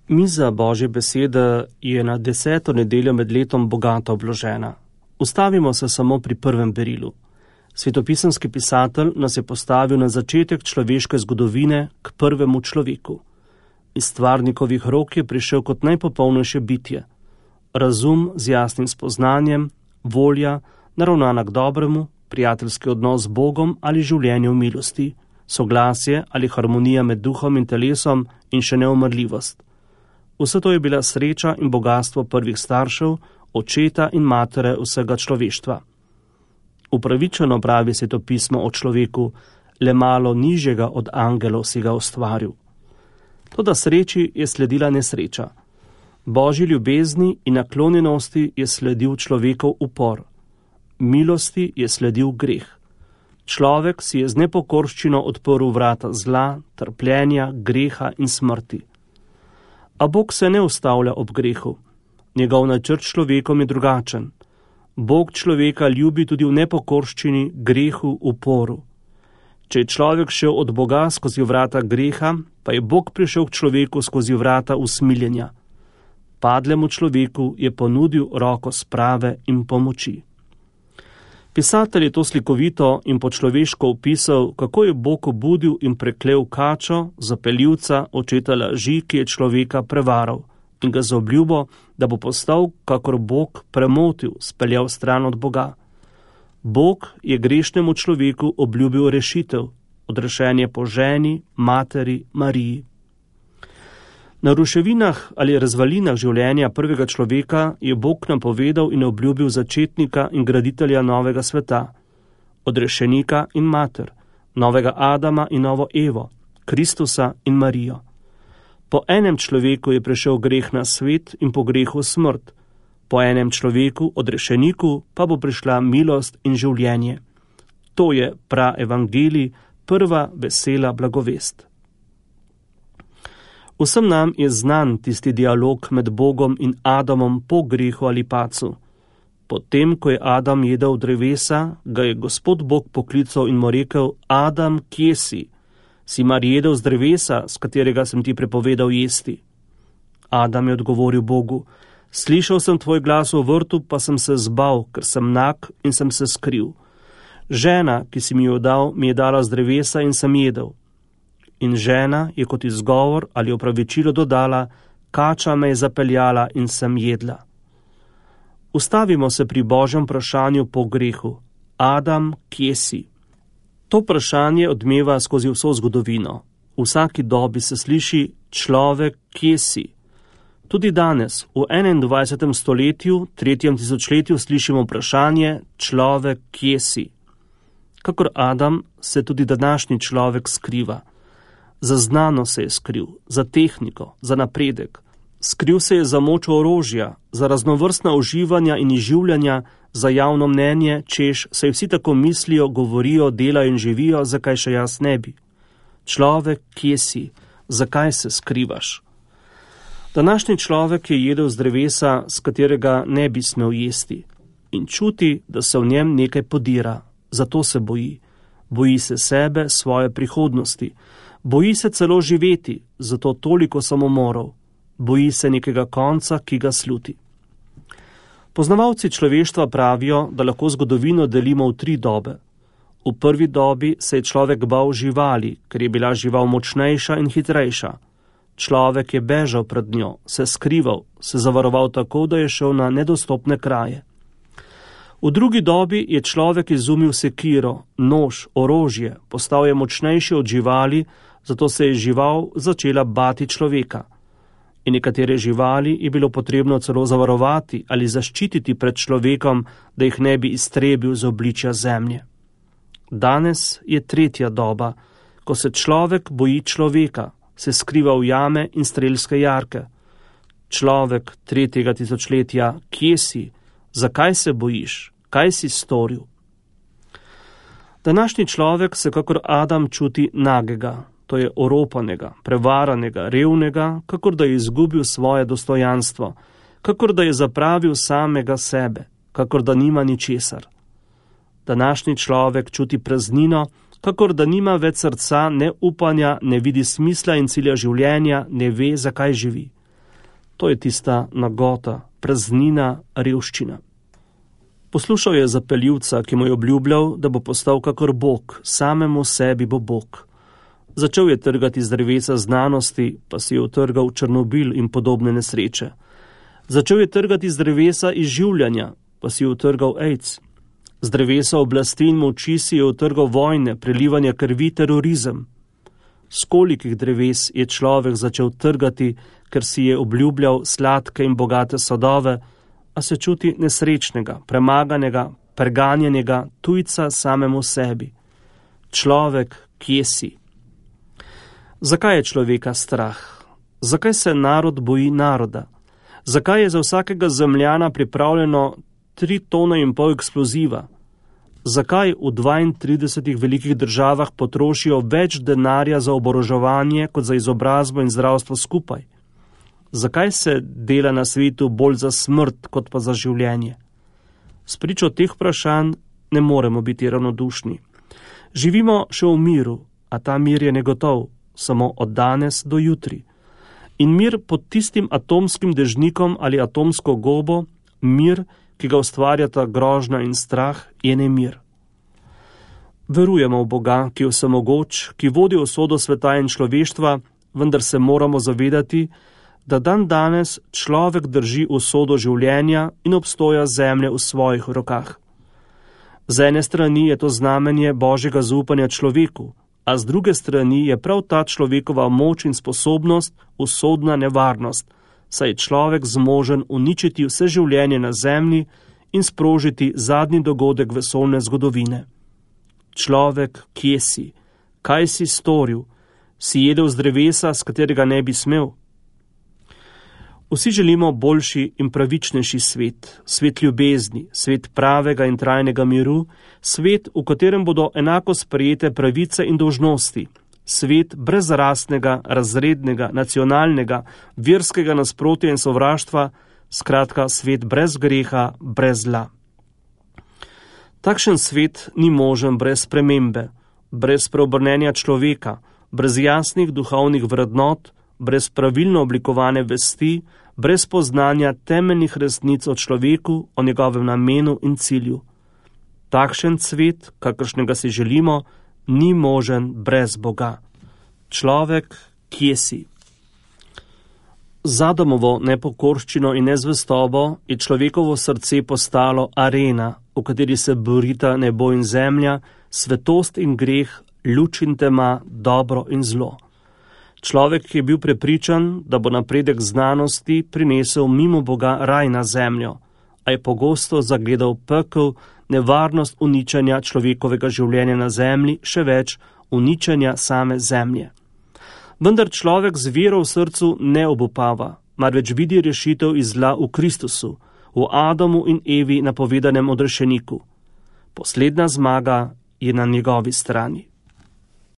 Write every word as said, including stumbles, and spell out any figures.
Miza Božje besede je na deseto nedeljo med letom bogato obložena. Ustavimo se samo pri prvem berilu. Svetopisemski pisatelj nas je postavil na začetek človeške zgodovine k prvemu človeku. Iz stvarnikovih rok je prišel kot najpopolnejše bitje. Razum z jasnim spoznanjem, volja, naravnana k dobremu, prijateljski odnos z Bogom ali življenje v milosti, soglasje ali harmonija med duhom in telesom in še neumrljivost. Vse to je bila sreča in bogatstvo prvih staršev, očeta in matere vsega človeštva. Upravičeno pravi svetopismo o človeku, le malo nižjega od angelov si ga ustvaril. Toda sreči je sledila nesreča. Božji ljubezni in naklonjenosti je sledil človekov upor. Milosti je sledil greh. Človek si je z nepokorščino odprl vrata zla, trpljenja, greha in smrti. A Bog se ne ustavlja ob grehu. Njegov načrt človekom je drugačen. Bog človeka ljubi tudi v nepokorščini, grehu, uporu. Če je človek šel od Boga skozi vrata greha, pa je Bog prišel k človeku skozi vrata usmiljenja. Padlemu človeku je ponudil roko sprave in pomoči. Pisatelj je to slikovito in po človeško opisal, kako je Bog obudil in preklel kačo, zapeljivca, očeta laži, ki je človeka prevaral, in ga z obljubo, da bo postal, kakor Bog, premotil, speljal stran od Boga. Bog je grešnemu človeku obljubil rešitev, odrešenje po ženi, materi, Mariji. Na ruševinah ali razvalinah življenja prvega človeka je Bog napovedal in obljubil začetnika in graditelja novega sveta, odrešenika in mater, novega Adama in novo Evo, Kristusa in Marijo. Po enem človeku je prišel greh na svet in po grehu smrt, po enem človeku, odrešeniku, pa bo prišla milost in življenje. To je praevangelij, prva vesela blagovest. Vsem nam je znan tisti dialog med Bogom in Adamom po grehu ali pacu. Potem, ko je Adam jedel drevesa, ga je Gospod Bog poklical in mu rekel: Adam, kje si? Si mar jedel z drevesa, s katerega sem ti prepovedal jesti? Adam je odgovoril Bogu: Slišal sem tvoj glas v vrtu, pa sem se zbal, ker sem nag in sem se skril. Žena, ki si mi jo dal, mi je dala z drevesa in sem jedel. In žena je kot izgovor ali opravičilo dodala: Kača me je zapeljala in sem jedla. Ustavimo se pri Božjem vprašanju po grehu: Adam, kje si? To vprašanje odmeva skozi vso zgodovino. V vsaki dobi se sliši: Človek, kje si? Tudi danes, v enaindvajsetem stoletju, tretjem tisočletju, slišimo vprašanje: Človek, kje si? Kakor Adam se tudi današnji človek skriva. Za znano se je skril, za tehniko, za napredek. Skril se je za moč orožja, za raznovrstna uživanja in izživljanja, za javno mnenje, češ, saj vsi tako mislijo, govorijo, delajo in živijo, zakaj še jaz ne bi. Človek, kje si? Zakaj se skrivaš? Današnji človek je jedel z drevesa, s katerega ne bi smel jesti, in čuti, da se v njem nekaj podira, zato se boji. Boji se sebe, svoje prihodnosti. Boji se celo živeti, zato toliko samomorov. Boji se nekega konca, ki ga sluti. Poznavalci človeštva pravijo, da lahko zgodovino delimo v tri dobe. V prvi dobi se je človek bal živali, ker je bila žival močnejša in hitrejša. Človek je bežal pred njo, se skrival, se zavaroval tako, da je šel na nedostopne kraje. V drugi dobi je človek izumil sekiro, nož, orožje, postal je močnejši od živali, zato se je žival začela bati človeka. In nekatere živali je bilo potrebno celo zavarovati ali zaščititi pred človekom, da jih ne bi iztrebil z obličja zemlje. Danes je tretja doba, ko se človek boji človeka, se skriva v jame in strelske jarke. Človek tretjega tisočletja, kje si? Zakaj se bojiš? Kaj si storil? Današnji človek se kakor Adam čuti nagega, to je oropanega, prevaranega, revnega, kakor da je izgubil svoje dostojanstvo, kakor da je zapravil samega sebe, kakor da nima ničesar. Današnji človek čuti praznino, kakor da nima več srca, ne upanja, ne vidi smisla in cilja življenja, ne ve, zakaj živi. To je tista nagota, praznina, revščina. Poslušal je zapeljivca, ki mu je obljubljal, da bo postal kakor Bog, samemu sebi bo Bog. Začel je trgati z drevesa znanosti, pa si je utrgal Černobil in podobne nesreče. Začel je trgati z drevesa izživljanja, pa si je utrgal AIDS. Z drevesa oblasti in moči si je utrgal vojne, prelivanje krvi, terorizem. S kolikih dreves je človek začel trgati, ker si je obljubljal sladke in bogate sadove, a se čuti nesrečnega, premaganega, preganjenega, tujca samemu sebi. Človek, kje si? Zakaj je človeka strah? Zakaj se narod boji naroda? Zakaj je za vsakega zemljana pripravljeno tri tone in pol eksploziva? Zakaj v dvaintridesetih velikih državah potrošijo več denarja za oboroževanje kot za izobrazbo in zdravstvo skupaj? Zakaj se dela na svetu bolj za smrt kot pa za življenje? Spričo teh vprašanj ne moremo biti ravnodušni. Živimo še v miru, a ta mir je negotov, samo od danes do jutri. In mir pod tistim atomskim dežnikom ali atomsko gobo, mir, ki ga ustvarjata grožnja in strah, je nemir. Verujemo v Boga, ki je vsemogoč, ki vodi usodo sveta in človeštva, vendar se moramo zavedati, da dan danes človek drži usodo življenja in obstoja zemlje v svojih rokah. Z ene strani je to znamenje Božjega zaupanja človeku, a z druge strani je prav ta človekova moč in sposobnost usodna nevarnost, saj je človek zmožen uničiti vse življenje na zemlji in sprožiti zadnji dogodek vesoljne zgodovine. Človek, kje si? Kaj si storil? Si jedel z drevesa, s katerega ne bi smel? Vsi želimo boljši in pravičnejši svet, svet ljubezni, svet pravega in trajnega miru, svet, v katerem bodo enako sprejete pravice in dolžnosti, svet brez rasnega, razrednega, nacionalnega, verskega nasprotja in sovraštva, skratka svet brez greha, brez zla. Takšen svet ni možen brez spremembe, brez preobrnenja človeka, brez jasnih duhovnih vrednot, brez pravilno oblikovane vesti, brez poznanja temeljnih resnic o človeku, o njegovem namenu in cilju. Takšen svet, kakršnega si želimo, ni možen brez Boga. Človek, kje si? Z Adamovo nepokorščino in nezvestobo je človekovo srce postalo arena, v kateri se borita nebo in zemlja, svetost in greh, luč in tema, dobro in zlo. Človek je bil prepričan, da bo napredek znanosti prinesel mimo Boga raj na zemljo, a je pogosto zagledal pekel, nevarnost uničenja človekovega življenja na zemlji, še več uničenja same zemlje. Vendar človek z vero v srcu ne obupava, marveč vidi rešitev iz zla v Kristusu, v Adamu in Evi napovedanem odrešeniku. Poslednja zmaga je na njegovi strani.